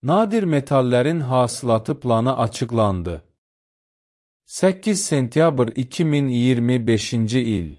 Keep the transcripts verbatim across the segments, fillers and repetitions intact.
Nadir metallərin hasilatı planı açıqlandı. səkkiz sentyabr iki min iyirmi beşinci il.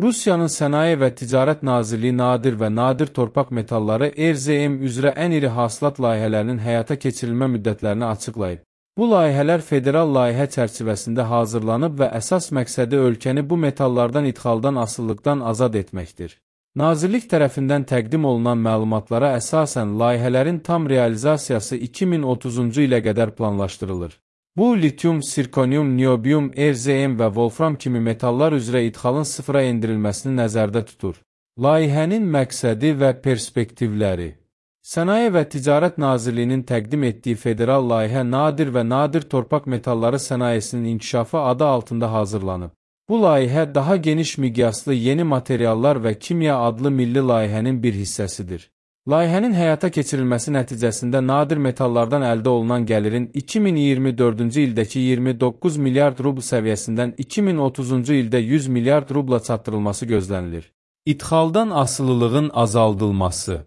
Rusiyanın Sənaye və Ticarət Nazirliyi nadir və nadir torpaq metalları R Z M üzrə ən iri hasilat layihələrinin həyata keçirilmə müddətlərini açıqlayıb. Bu layihələr federal layihə çərçivəsində hazırlanıb və əsas məqsədi ölkəni bu metallardan idxaldan asılılıqdan azad etməkdir. Nazirlik tərəfindən təqdim olunan məlumatlara əsasən layihələrin tam realizasiyası iki min otuzuncu ilə qədər planlaşdırılır. Bu, lityum, sirkonium, niobium, R Z M və wolfram kimi metallar üzrə idxalın sıfıra endirilməsini nəzərdə tutur. Layihənin məqsədi və perspektivləri. Sənaye və Ticarət Nazirliyinin təqdim etdiyi federal layihə nadir və nadir torpaq metalları sənayesinin inkişafı adı altında hazırlanıb. Bu layihə daha geniş miqyaslı yeni materiallar və kimya adlı milli layihənin bir hissəsidir. Layihənin həyata keçirilməsi nəticəsində nadir metallardan əldə olunan gəlirin iki min iyirmi dördüncü ildəki iyirmi doqquz milyard rubl səviyyəsindən iki min otuzuncu ildə yüz milyard rubla çatdırılması gözlənilir. İdxaldan asılılığın azaldılması.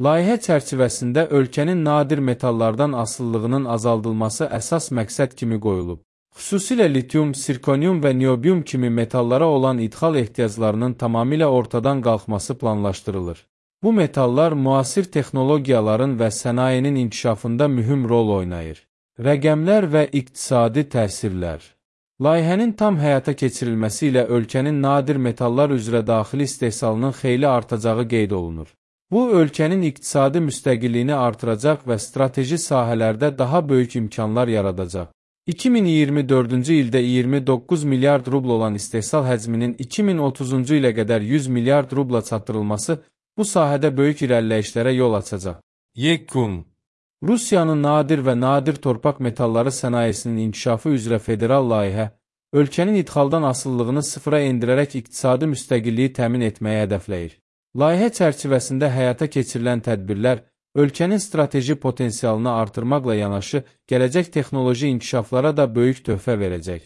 Layihə çərçivəsində ölkənin nadir metallardan asılılığının azaldılması əsas məqsəd kimi qoyulub. Xüsusilə lityum, sirkonium və niobium kimi metallara olan idxal ehtiyaclarının tamamilə ortadan qalxması planlaşdırılır. Bu metallar müasir texnologiyaların və sənayenin inkişafında mühüm rol oynayır. Rəqəmlər və iqtisadi təsirlər. Layihənin tam həyata keçirilməsi ilə ölkənin nadir metallar üzrə daxili istehsalının xeyli artacağı qeyd olunur. Bu, ölkənin iqtisadi müstəqilliyini artıracaq və strateji sahələrdə daha böyük imkanlar yaradacaq. iki min iyirmi dördüncü ildə iyirmi doqquz milyard rubl olan istehsal həcminin iki min otuzuncu ilə qədər yüz milyard rubla çatdırılması bu sahədə böyük irəliləyişlərə yol açacaq. Yekun. Rusiyanın nadir və nadir torpaq metalları sənayesinin inkişafı üzrə federal layihə, ölkənin idxaldan asılılığını sıfıra endirərək iqtisadi müstəqilliyi təmin etməyə hədəfləyir. Layihə çərçivəsində həyata keçirilən tədbirlər, ölkənin strateji potensialını artırmaqla yanaşı, gələcək texnoloji inkişaflara da böyük töhfə verəcək.